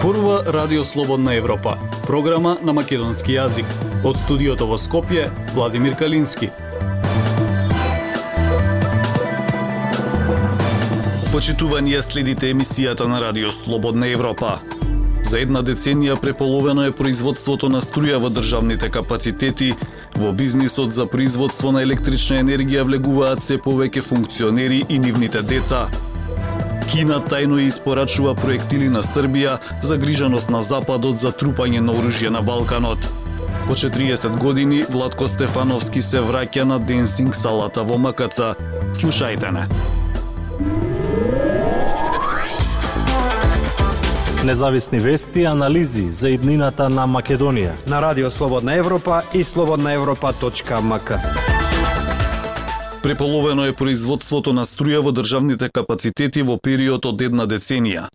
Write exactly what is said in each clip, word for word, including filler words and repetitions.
Зборува Радио Слободна Европа, програма на македонски јазик. Од студиото во Скопје, Владимир Калински. Почитување, следите емисијата на Радио Слободна Европа. За една деценија преполовено е производството на струја во државните капацитети. Во бизнисот за производство на електрична енергија влегуваат се повеќе функционери и нивните деца. Кина тајно испорачува проектили на Србија, загриженост на Западот за трупање на оружје на Балканот. По четириесет години Владко Стефановски се враќа на денсинг салата во Макаца. Слушајте не. Независни вести и анализи за иднината на Македонија на Радио Слободна Европа и слободна европа точка ем ка. Преполовено е производството на струја во државните капацитети во период од една деценија.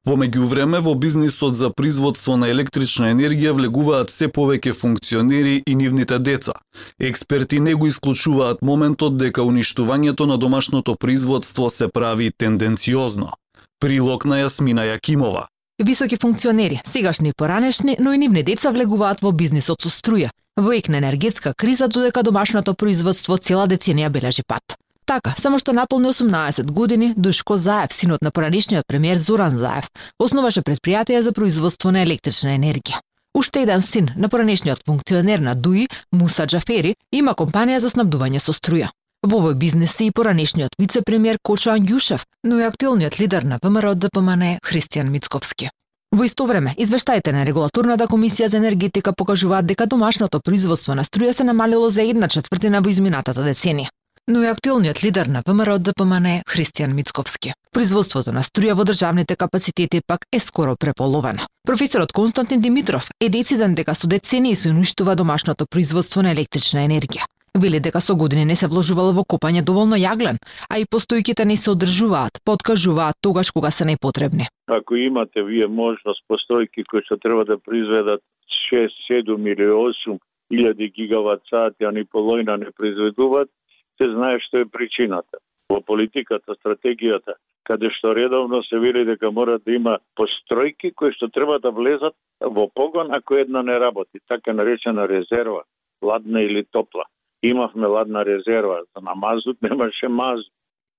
Во меѓувреме, во бизнисот за производство на електрична енергија влегуваат се повеќе функционери и нивните деца. Експерти не го исклучуваат моментот дека уништувањето на домашното производство се прави тенденциозно. Прилог на Јасмина Јакимова. Високи функционери, сегашни и поранешни, но и нивни деца влегуваат во бизнисот со струја. Во ек на енергетска криза, додека домашното производство цела деценија бележи пат. Така, само што наполни осумнаесет години, Душко Заев, синот на поранешниот премиер Зоран Заев, основаше предпријатие за производство на електрична енергија. Уште еден син на поранешниот функционер на ДУИ, Муса Џафери, има компанија за снабдување со струја. Во овој бизнис е и поранешниот вице-премиер Кочо Ангјушев, но и актуелниот лидер на ВМРО Д П М Н Христијан Мицковски. Во исто време, извештаите на Регулаторната комисија за енергетика покажуваат дека домашното производство на струја се намалило за една четвртина во изминатата деценија. Но и актуелниот лидер на ВМРО Д П М Н Христијан Мицковски. Производството на струја во државните капацитети пак е скоро преполовено. Професорот Константин Димитров е дециден дека со децении се уништува домашното производство на електрична енергија. Вели дека со години не се вложувало во копање доволно јаглен, а и постојките не се одржуваат, подкажуваат тогаш кога се непотребни. Ако имате вие можност постојки кои што треба да произведат шест, седум или осум илјади гигават сати, а ни половина не произведуваат, се знае што е причината. Во политиката, стратегијата, каде што редовно се вели дека мора да има постојки кои што треба да влезат во погон ако една не работи, така наречена резерва, ладна или топла. Имавме ладна резерва, на мазут немаше мазут.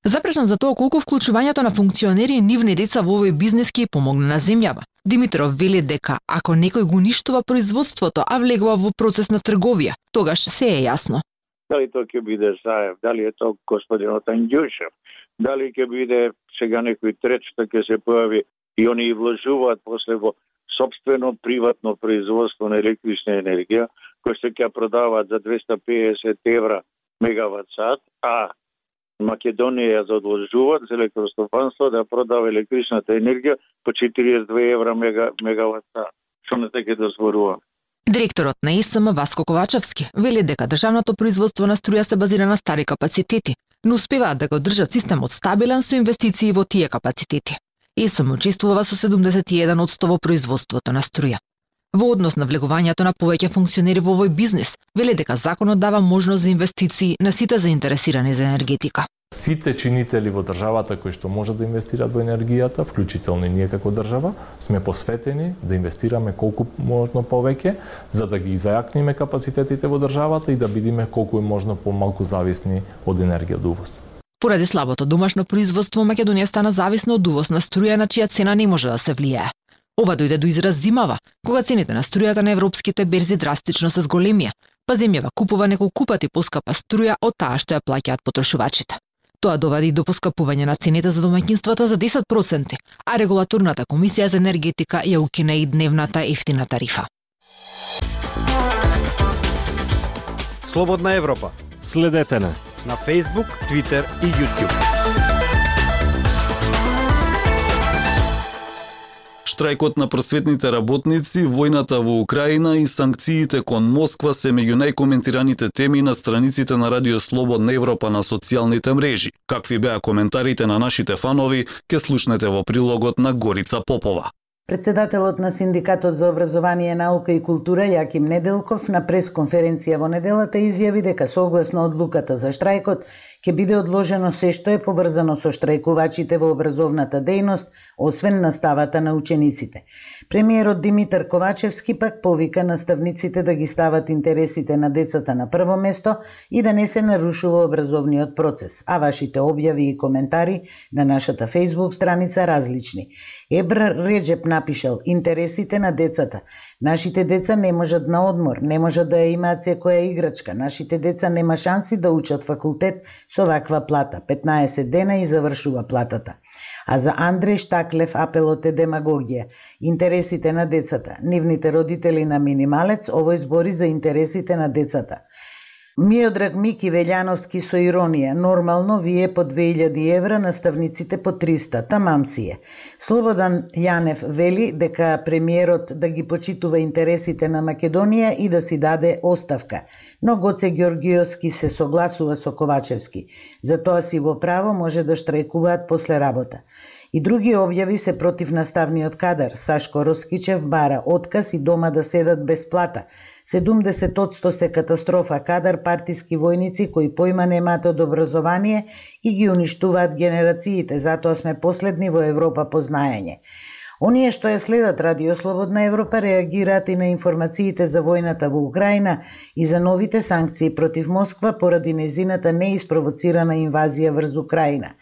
Запрашан за тоа колку вклучувањето на функционери и нивни деца во овој бизнис ќе помогне на земјава. Димитров вели дека ако некој го уништува производството, а влегува во процес на трговија, тогаш се е јасно. Дали тоа ќе биде Заев, дали е тоа господинот Ангјушев, дали ќе биде сега некој трет што ќе се појави и они и вложуваат после во собствено приватно производство на електрична енергија, кој се ќе продаваат за двеста педесет евра мегават сат, а Македонија ја задолжуваат за електростопанство да продава електричната енергија по четириесет и две евра мега, мегават сат. Што не те ќе дозволува? Директорот на Е С М Васко Ковачевски вели дека државното производство на струја се базира на стари капацитети, но успеваат да го држат системот стабилен со инвестиции во тие капацитети. Е С М учествува со седумдесет и еден одсто во производството на струја. Во однос на влегувањето на повеќе функционери во овој бизнис, вели дека законот дава можност за инвестиции на сите заинтересирани за енергетика. Сите чинители во државата кои што можат да инвестираат во енергијата, вклучително и ние како држава, сме посветени да инвестираме колку можно повеќе, за да ги зајакниме капацитетите во државата и да бидеме колку е можно помалку зависни од енергија од увоз. Поради слабото домашно производство, Македонија стана зависна од увоз на струја на чија цена не може да се влијае. Ова дојде до израз зимава, кога цените на струјата на европските берзи драстично се зголемија, па земјава купува неколку пати поскапа струја од таа што ја плаќаат потрошувачите. Тоа доведе и до поскапување на цените за домаќинствата за десет проценти, а Регулаторната комисија за енергетика ја укина и дневната ефтина тарифа. Слободна Европа. Следете на на Facebook, Twitter и YouTube. Штрајкот на просветните работници, војната во Украина и санкциите кон Москва се меѓу најкоментираните теми на страниците на Радио Слободна Европа на социјалните мрежи. Какви беа коментарите на нашите фанови, ке слушнете во прилогот на Горица Попова. Председателот на Синдикатот за образование, наука и култура Јаким Неделков на пресконференција во неделата изјави дека согласно одлуката за штрајкот ќе биде одложено се што е поврзано со штрајкувачите во образовната дејност, освен наставата на учениците. Премиерот Димитар Ковачевски пак повика наставниците да ги стават интересите на децата на прво место и да не се нарушува образовниот процес, а вашите објави и коментари на нашата Facebook страница различни. Ебра Реджеп напишал: интересите на децата. Нашите деца не можат на одмор, не можат да ја имаат секоја играчка. Нашите деца нема шанси да учат факултет со ваква плата. петнаесет дена и завршува платата. А за Андреј Штаклев апелот е демагогија. Интересите на децата. Нивните родители на минималец, овој збори за интересите на децата. Миодраг Мики Велјановски со иронија: нормално вие по две илјади евра, наставниците по триста, тамам си е. Слободан Јанев вели дека премиерот да ги почитува интересите на Македонија и да си даде оставка, но Гоце Ѓоргиовски се согласува со Ковачевски. Затоа си во право може да штрајкуваат после работа. И други објави се против наставниот кадар. Сашко Роскичев бара отказ и дома да седат без плата. седумдесет одсто се катастрофа кадар, партиски војници кои поима немаат од образование и ги уништуваат генерациите, затоа сме последни во Европа по знаење. Оние што ја следат Радио Слободна Европа реагираат и на информациите за војната во Украина и за новите санкции против Москва поради незината неиспровоцирана инвазија врз Украина.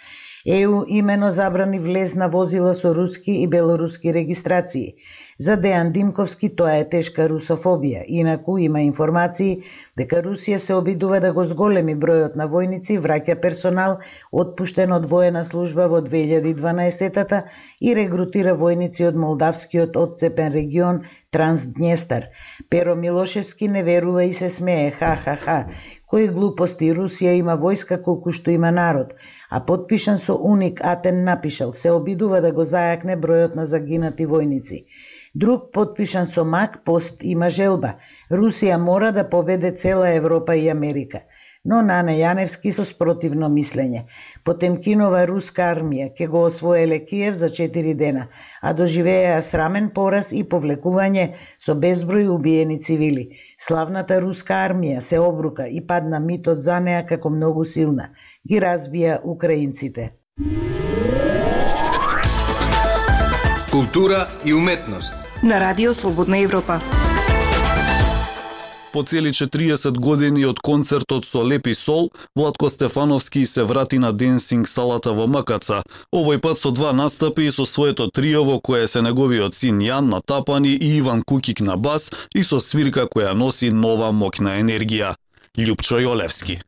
Е У имено забрани влез на возила со руски и белоруски регистрации. За Дејан Димковски тоа е тешка русофобија. Инаку има информации дека Русија се обидува да го зголеми бројот на војници, враќа персонал отпуштен од воена служба во две илјади и дванаесетта и регрутира војници од молдавскиот одцепен регион Трансднестар. Перо Милошевски не верува и се смее. Ха-ха-ха. Кои глупости, Русија има војска колку што има народ. А подпишан со Уник Атен напишал: се обидува да го зајакне бројот на загинати војници. Друг подпишан со Мак пост има желба: Русија мора да победе цела Европа и Америка. Но Нане Јаневски со спротивно мислење. Потемкинова руска армија ќе го освоеле Киев за четири дена, а доживеа срамен пораз и повлекување со безброј убиени цивили. Славната руска армија се обрука и падна митот за неа како многу силна. Ги разбија украинците. Култура и уметност на Радио Слободна Европа. По цели четириесет години од концертот со Лепи Сол, Владко Стефановски се врати на денсинг салата во Макаца, овој пат со два настапи и со своето трио во кое се неговиот син Јан на тапани и Иван Кукик на бас и со свирка која носи нова моќна енергија. Љупчо Јолевски.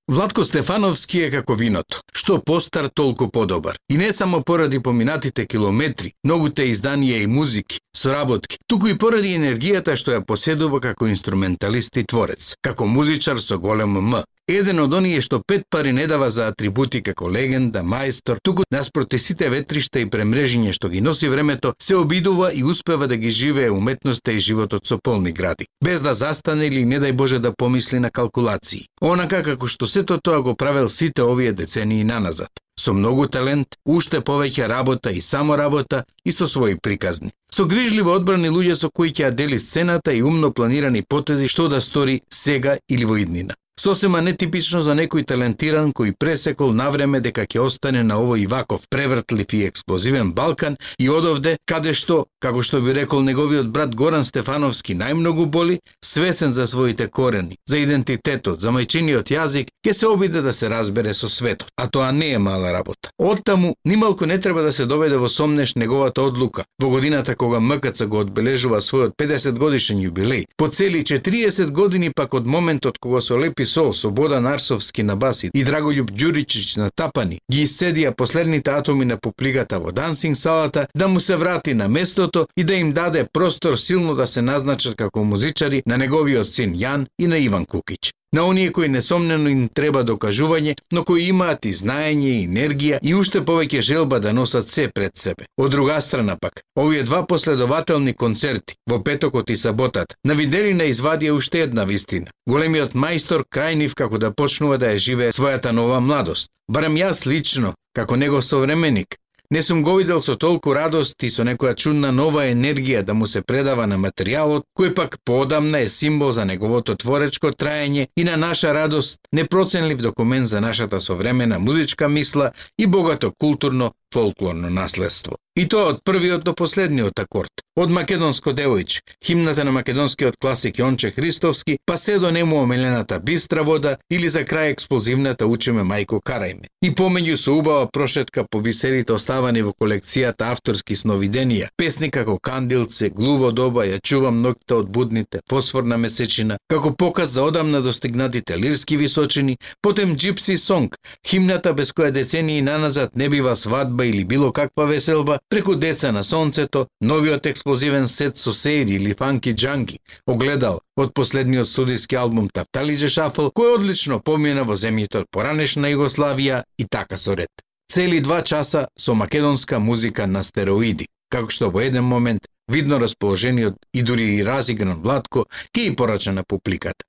Владко Стефановски е како виното. Што постар, толку подобар. И не само поради поминатите километри, многуте изданија и музики, соработки, туку и поради енергијата што ја поседува како инструменталист и творец, како музичар со голем М. Еден од оние што пет пари не дава за атрибути како легенда, мајстор, туку наспроти сите ветришта и премрежиња што ги носи времето, се обидува и успева да ги живее уметноста и животот со полни гради, без да застане или не дај Боже да помисли на калкулации. Онака како што сето тоа го правел сите овие децении наназад. Со многу талент, уште повеќе работа и само работа и со своји приказни. Со грижливо одбрани луѓе со кои ќе ја дели сцената и умно планирани потези што да стори сега или во иднина. Сосема нетипично за некој талентиран кој пресекол навреме дека ќе остане на овој ваков превртлив и експлозивен Балкан и одовде, каде што, како што би рекол неговиот брат Горан Стефановски, најмногу боли, свесен за своите корени, за идентитетот, за мајчиниот јазик, ќе се обиде да се разбере со светот. А тоа не е мала работа. Оттаму, нималку не треба да се доведе во сомнеш неговата одлука, во годината кога МКЦ го одбележува својот педесет годишен јубилеј, по цели четириесет години пак од моментот кога со Лепи Сол, Слободан Арсовски на баси и Драголјуб Ѓуричич на тапани ги исцедија последните атоми на пуплигата во дансинг салата, да му се врати на местото и да им даде простор силно да се назначат како музичари на неговиот син Јан и на Иван Кукич. На оние кои несомнено им треба докажување, но кои имаат и знаење и енергија и уште повеќе желба да носат се пред себе. Од друга страна пак, овие два последователни концерти во петокот и саботата навидели на извадија уште една вистина. Големиот мајстор крај нив како да почнува да ја живее својата нова младост. Барем јас лично, како негов современик, Не сум го видел со толку радост и со некоја чудна нова енергија да му се предава на материјалот, кој пак поодамна е символ за неговото творечко траење и на наша радост, непроценлив документ за нашата современа музичка мисла и богато културно фолклорно наследство. И тоа од првиот до последниот акорд. Од македонско девојче, химната на македонскиот класик Јонче Христовски, па се до нему омелената Бистра вода или за крај експлозивната Учеме мајко карајме. И помеѓу со убава прошетка по бисерите оставани во колекцијата авторски сновиденија, песни како Кандилце, Глуво доба, Ја чувам ноќта од будните, Фосфорна месечина, како показ за одамна достигнатите лирски височини, потем Gypsy Song, химната без која децении наназад не бива свадба или било каква веселба, преку Деца на сонцето, новиот експлозивен сет со Сейри или Фанки Джанги, Огледал од последниот студиски албум Тапталиџе Шафл, кој одлично помина во земјите од поранешна Југославија и така со ред. Цели два часа со македонска музика на стероиди, како што во еден момент видно расположениот и дури и разигран Владко ќе и порача на публиката.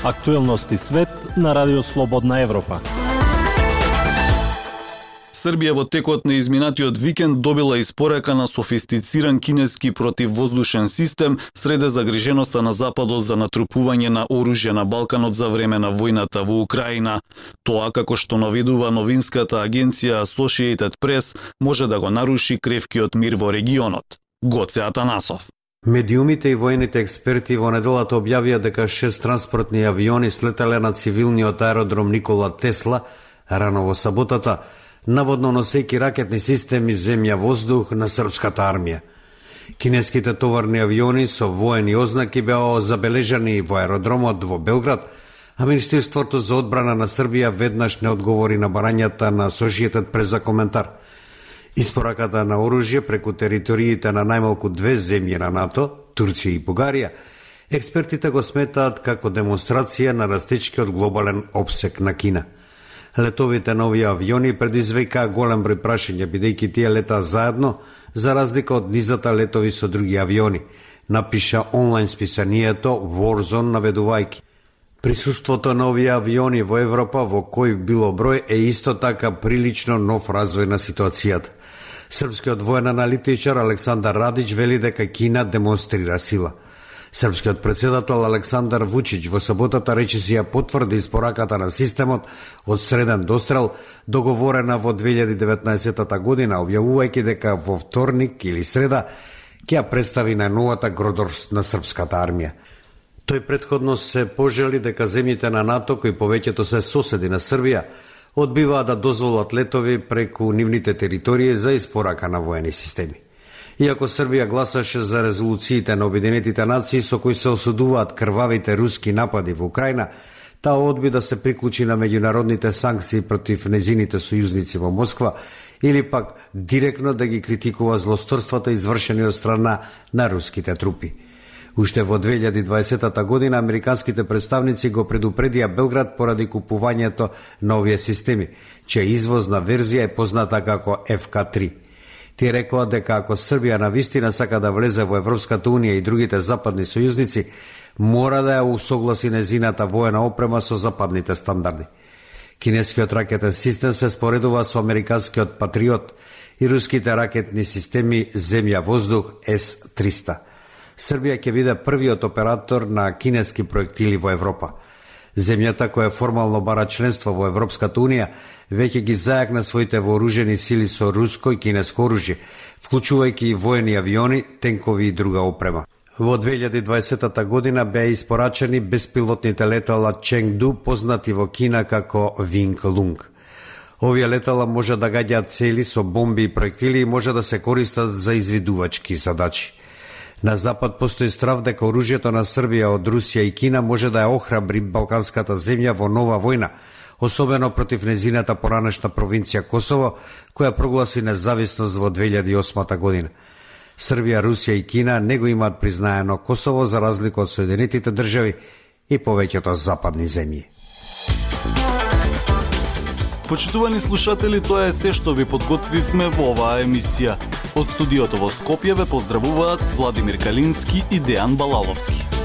Актуелности свет на Радио Слободна Европа. Србија во текот на изминатиот викенд добила испорака на софистициран кинески противвоздушен систем среде загриженоста на Западот за натрупување на оружје на Балканот за време на војната во Украина. Тоа, како што наведува новинската агенција Associated Press, може да го наруши кревкиот мир во регионот. Гоце Атанасов. Медиумите и војните експерти во неделата објавија дека шест транспортни авиони слетале на цивилниот аеродром Никола Тесла рано во саботата, наводно носејќи ракетни системи земја-воздух на српската армија. Кинеските товарни авиони со воени ознаки беа забележани во аеродромот во Белград, а Министерството за одбрана на Србија веднаш не одговори на барањата на Associated Press за коментар. Испораката на оружје преку териториите на најмалку две земји на НАТО, Турција и Бугарија, експертите го сметаат како демонстрација на растечкиот глобален опсек на Кина. Летовите на овие авиони предизвикаа голем број прашања, бидејќи тие летаа заедно, за разлика од низата летови со други авиони, напиша онлайн списанието Warzone наведувајќи. Присуството на овие авиони во Европа во кој било број е исто така прилично нов развој на ситуацијата. Српскиот воен аналитичар Александар Радич вели дека Кина демонстрира сила. Српскиот председател Александар Вучич во саботата речиси ја потврди испораката на системот од среден дострел договорена во две илјади и деветнаесетта година, објавувајќи дека во вторник или среда ќе ја представи на новата гродорст на српската армија. Тој претходно се пожели дека земјите на НАТО, кои повеќето се соседи на Србија, одбиваат да дозволат летови преку нивните територии за испорака на воени системи. Иако Србија гласаше за резолуциите на Обединетите нации со кои се осудуваат крвавите руски напади во Украина, таа одби да се приклучи на меѓународните санкции против незините сојузници во Москва или пак директно да ги критикува злосторствата извршени од страна на руските трупи. Уште во две илјади и дваесетта година американските представници го предупредија Белград поради купувањето на овие системи, чија извозна верзија е позната како Еф Ка три. Тие рекоа дека ако Србија навистина сака да влезе во Европската унија и другите западни сојузници, мора да ја усогласи незината воена опрема со западните стандарди. Кинескиот ракетен систем се споредува со американскиот Патриот и руските ракетни системи земја-воздух Ес триста. Србија ќе биде првиот оператор на кинески проектили во Европа. Земјата која формално бара членство во Европската унија веќе ги зајакна своите вооружени сили со руско и кинеско оружје, вклучувајќи и воени авиони, тенкови и друга опрема. Во две илјади и дваесетта година беа испорачени беспилотните летала Ченгду, познати во Кина како Винг Лунг. Овие летала може да гаѓаат цели со бомби и проектили и може да се користат за извидувачки задачи. На Запад постои страв дека оружјето на Србија од Русија и Кина може да ја охрабри балканската земја во нова војна, особено против незината поранешна провинција Косово, која прогласи независност во две илјади и осма година. Србија, Русија и Кина не го имаат признаено Косово за разлика од Соединетите држави и повеќето западни земји. Почитувани слушатели, тоа е се што ви подготвивме во оваа емисија. Од студиото во Скопје ве поздравуваат Владимир Калински и Дејан Балаловски.